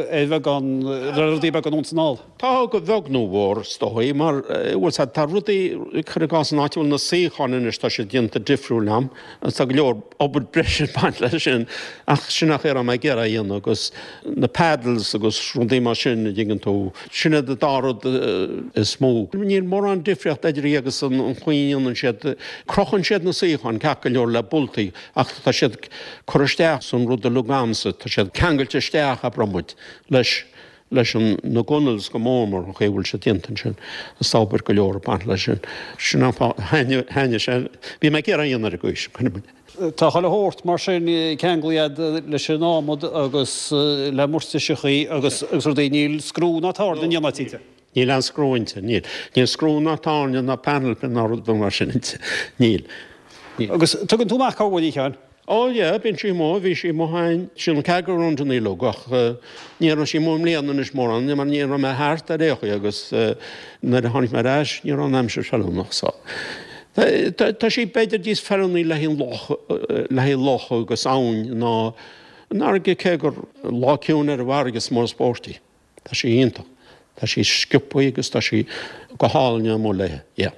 Speaker 1: ar bheagán, ar rudaí beaga anonn 's anall.
Speaker 2: Tá, go bheag nó mhór, is dóigh, mar, bhfuil 's a'd, tá rudaí, cuir i gcás an áit a bhfuil na suíocháin anois, tá siad déanta difriúil a'm agus tá go leor obair breise ag baint leis sin ach sin an chaoi a raibh mé ag iarraidh a dhéanamh agus na paddles agus rudaí mar sin a dtuigeann tú, sin iad an dá rud is mó. Níl mórán difríocht idir í agus an chaoi a ndéanann siad, crochann siad na suíocháin ceart go leor le boltaí ach tá siad curtha isteach san rud uilig a'msa, tá siad ceangailte isteach abraimis muid leis leis an na gunnails go mór mór an chaoi a bhfuil siad déanta ansin is tá obair go leor ag baint leis sin. Sin an fáth thaitnigh sé, bhí mé ag iarraidh a dhéanamh ar an gcaoi sin, cuirfidh muid.
Speaker 1: Tá chuile shórt mar sin ceanglaithe agat leis an adhmad agus le moirtiseachaí agus rudaí, níl screw ná tairne in aon áit inti?
Speaker 2: Níl aon screw inti, níl. Níl screw ná tairne ná panel pin ná rud mar sin inti, níl.
Speaker 1: Níl. Agus tugann tú amach corruair í, a Sheáin?
Speaker 2: Ó yeah, bíonn sí amuigh, bhí sí amuigh a'inn, sin an ceathair go raibh an uileag ach ní raibh sí amuigh i mbliana anois mórán mar ní raibh mé thart ar aon chaoi agus nuair a tháinig mé ar ais ní raibh an aimsir feiliúnach so tá sí b'fhéidir níos feiliúnaí le haghaidh loch, le haghaidh loch agus abhainn ná an fharraige cé gur lá ciúin ar an bhfarraige is mó spóirt í. Tá sí iontach. Tá sí sciobtha agus tá sí go hálainn amuigh léi. Yeah.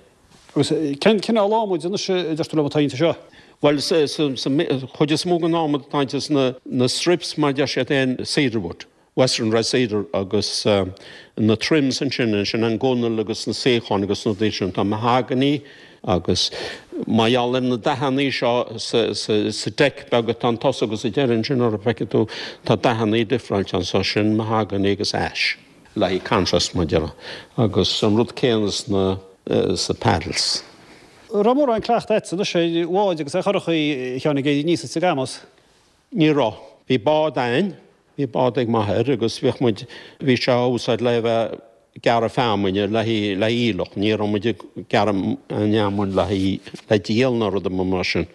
Speaker 1: Agus cén cineál adhmaid anois a deir tú liom atá inti seo?
Speaker 2: Bhuel, sa chuid is mó den adhmad atá inti sna na strips mar a deir siad féin, cedarwood, western red cedar agus na trims ansin, sin an gunnail agus na suíocháin agus na rudaí sin, tá mahogany Agus mar gheall ar na dathannaí seo sa deck beag atá an tosach agus an deireadh ansin orthu, feicfidh tú, tá dathannaí difreáilte anso, sin mahogany agus ash. Le haghaidh contrast, mar a déarfá. Agus an rud céanna sna sa paddles.
Speaker 1: An raibh mórán cleachta agat anois ar bháid agus ar churachaí, a Sheáin, ag éirí aníos is ag amas?
Speaker 2: Ní raibh. Bhí bád a'inn, bhí bád ag m'athair agus bhíodh muid, bhí sé á úsáid le bheith ag gearradh feamainne le haghaidh, le haghaidh aoileach, ní raibh muid ag gearradh an fheamainn le haghaidh, le díol ná rud ar bith mar sin.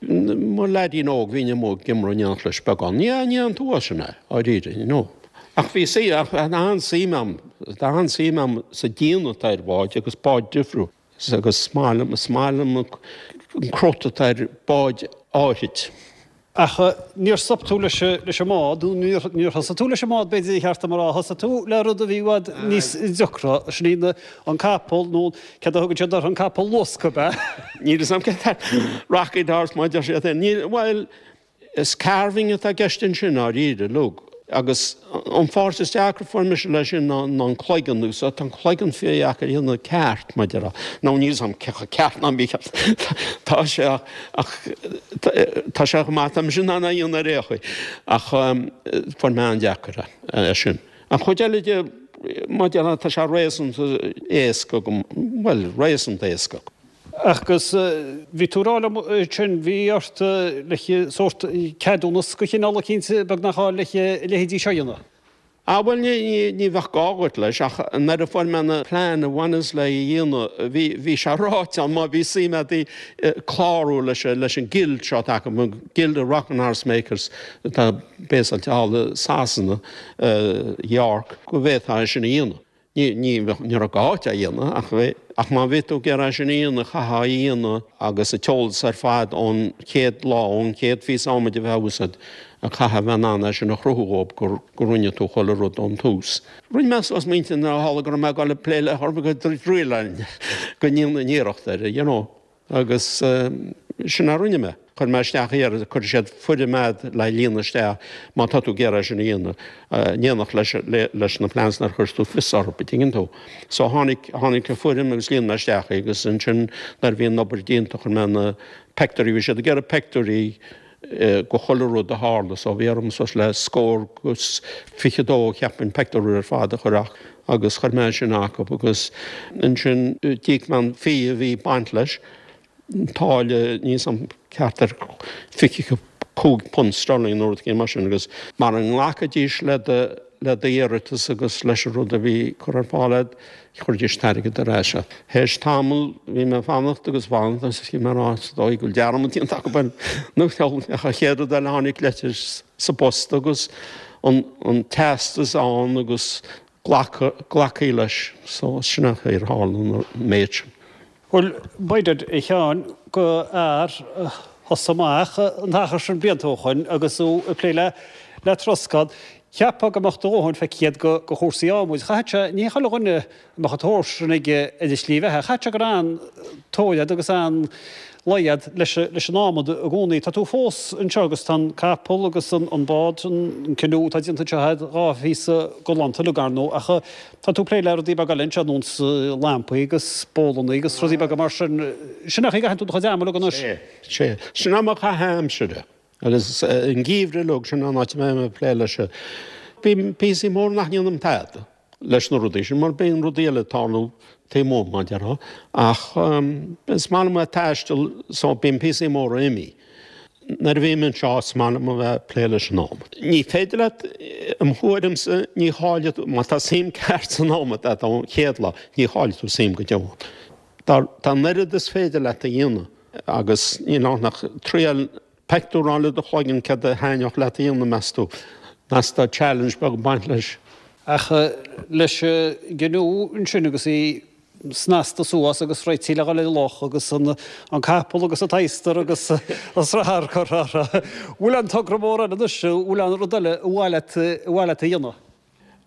Speaker 2: Mar leaidín óg bhínn amuigh ag iomramh in éineacht leis beagán. Ní, ní an t-uath sin é, dháiríre, you know. Ach bhí suim, ach tá an-suim a'm, tá an-suim a'm sa déanamh atá ar bháid agus báid difriúil. Agus is maith liom, is maith liom an crut atá ar báid áithrid.
Speaker 1: Ach níor stop tú leis leis an mbád, nó níor níor thosaigh tú leis an mbád b'fhéidir ba cheart dom a rá, thosaigh tú le rud a bhí i bhfad níos deacra, sin í an capall nó céard a thugann siad orthu, an capall luasctha, ab ea?
Speaker 2: Níl 'fhios a'm céard é rocking horse mar a deir siad féin. Níl, bhuel, Is carving atá i gceist ansin, dháiríre, look. Agus an pháirt is deacra fuair mise leis sin ná an cloigeann, agus tá an cloigeann fíordheacair a dhéanamh ceart, mar a déarfá. Nó níl 'fhios a'm cé chomh ceart ná mícheart tá sé ach tá sé chomh maith, tá mise in ann é a dhéanamh ar aon chaoi. Ach fuair mé an-deacair é sin. An chuid eile de, mar a déarfá, tá sé réasúnta éasca agam, bhuel, réasúnta éasca.
Speaker 1: Agus bhí tú ag rá liom ansin, bhí ort le sórt ceadúnas de chineál eicínt beagnach a fháil le a leithéidí seo a dhéanamh.
Speaker 2: Ah bhuel ní, ní, ní bheadh gá dhuit leis ach nuair a fuair mé na plean a bhaineas le a dhéanamh bhí, bhí sé ráite ann má bhí suim agat i clárú leis, leis an Guild seo atá acu, an Guild of Rocking Horse Makers atá béasáilte thall i Sasana, York, go bhféadfá é sin a dhéanamh. Ní, ní, ní raibh gá duit é a dhéanamh ach bhí, ach má bhí tú ag iarraidh é sin a dhéanamh, chaithfeá é a dhéanamh agus an t-eolas ar fad ón chéad lá, ón chéad phíosa adhmaid a bheith á úsáid, chaithfeá a bheith in ann é sin a chruthú dhóibh gur, gur rinne tú chuile rud ón tús. Rinne mé suas m'intinn nuair a tharla go raibh mé ag dul ag plé le chor go dtriailfinn, go ndéanfainn iarracht air, you know. Agus sin a rinne mé. Chuir mé isteach iarratas, cuirfidh siad foirm a'd le líonadh isteach má tá tú ag iarraidh é sin a dhéanamh, in éineacht leis, leis na plans nuair a chuireas tú fios orthu, an dtuigeann tú. So tháinig, tháinig an foirm agus líon mé isteach í agus ansin nuair a bhí an obair déanta chuir mé na peictiúirí, bhí siad ag iarraidh peictiúirí go chuile rud a tharla so bhí orm suas le scór agus 22 cheapfainn peictiúr ar fad a chur ach agus chuir mé sin acu agus ansin d'íoc mé an fee a bhí ag baint leis, an táille níl 's a'm ceart ar £25 sterling nó rud éigin mar sin agus mara nglacfaidís le do le d'iarratas agus leis an rud a bhí curtha ar fáil a'd, chuiridís an t-airgead ar ais ort. Théis tamaill bhí mé ag fanacht agus fanacht agus bhí mé ag rá is dóigh go bhfuil dearmad déanta acu orm nó an chéad rud eile tháinig leitir sa bpost agus an an teastas ann agus glacadh glacadh leis so sin an chaoi ar tharla an méid sin.
Speaker 1: Bhuel, b'fhéidir, a Sheáin, do fhear a thosaigh amach an t-achar sin blianta ó shoin agus tú ag plé le le troscán, cheapfá go mbeadh do dhóthain feicthe agat go chúrsaí adhmaid. Chaithfeadh sé, ní chuile dhuine a mbeadh an tóir sin aige ar a shlí bheatha, chaithfeadh sé go raibh an-tóir agat agus an-luí agat leis leis an adhmad i gcónaí. Tá tú fós anseo agus tá an capall agus an bád, an canoe atá déanta anseo agat, dhá phíosa galánta uilig, ar ndóigh, ach Tá tú ag plé le rudaí beaga eile anseo, nós lampaí agus bólannaí agus rudaí beaga mar sin. Sin é an chaoi a gcaitheann tú do chuid ama uilig anois.
Speaker 2: Sea, sea. Sin é mo chaitheamh aimsire. Agus an geimhreadh uilig, sin an áit a mbeidh mé ag plé leis. Bíonn píosaí móra nach ndéanaim tada leis na rudaí sin, mar bíonn rudaí eile ag tarlú taobh amuigh, mar a déarfá. Ach is maith liom a bheith ag taisteal so bíonn píosaí móra imithe. Nuair a bhím anseo, is maith liom a bheith ag plé leis an adhmad. Ní féidir leat, im thuairimse, ní chaillfidh tú, má tá suim ceart san adhmad agat ón chéad lá, ní chaillfidh tú suim go deo ann. Tá, tá an oiread is féidir leat a dhéanamh agus níl ann ach triail peictiúr a fháil i do chloigeann céard a thaitneodh leat a dhéanamh, meas tú? Meas tá challenge beag ag baint leis.
Speaker 1: Ach leis an gcanoe ansin agus í snasta suas agus réitithe le dhul ar an loch agus an capall agus an t-adhastar agus an srathar curtha orthu. Bhfuil aon togra mór eile anois, bhfuil aon rud eile ar mhaith leat, ar mhaith leat a dhéanamh?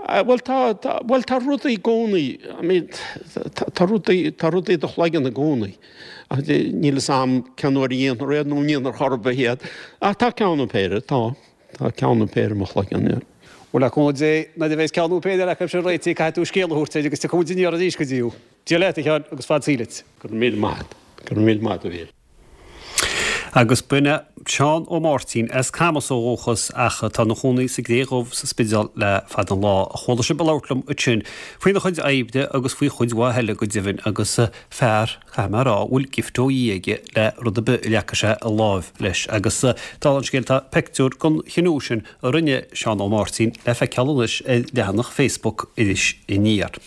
Speaker 2: Bhuel tá, tá, bhuel tá rudaí i gcónaí, I mean tá, tá rudaí, tá rudaí i do chloigeann i gcónaí. Ach níl fhios a'm cén uair a dhéanfar iad nó an ndéanfar chor ar bith iad. Ach tá ceann nó péire, tá. Tá ceann nó péire i mo chloigeann, yeah.
Speaker 1: Bhuel, le cúnamh Dé, nuair a bheas ceann nó péire acu sin réitithe, caithfidh tú scéal a thabhairt air agus tiocfaidh muid aniar arís go dtí thú. Dia leat, a Sheáin, agus fad saoil duit.
Speaker 2: Go raibh míle maith agat. Go raibh míle maith agat, a Mhíl.
Speaker 1: Agus b'in é Seán Ó Máirtín, as Camas ó dhúchas ach atá ina chónaí sa gCré Dhubh sa Spidéal le fada an lá, a chuala sibh ag labhairt liom ansin faoina chuid oibre agus faoi chuid mhaith eile go deimhin agus fear, caithfidh mé a rá, a bhfuil gift ó Dhia aige le rud ar bith a leagfaidh sé a láimh leis. Agus dála an scéil tá peictiúr den chinú sin a rinne Seán Ó Máirtín le feiceáil anois ar leathanach Facebook Iris Aniar.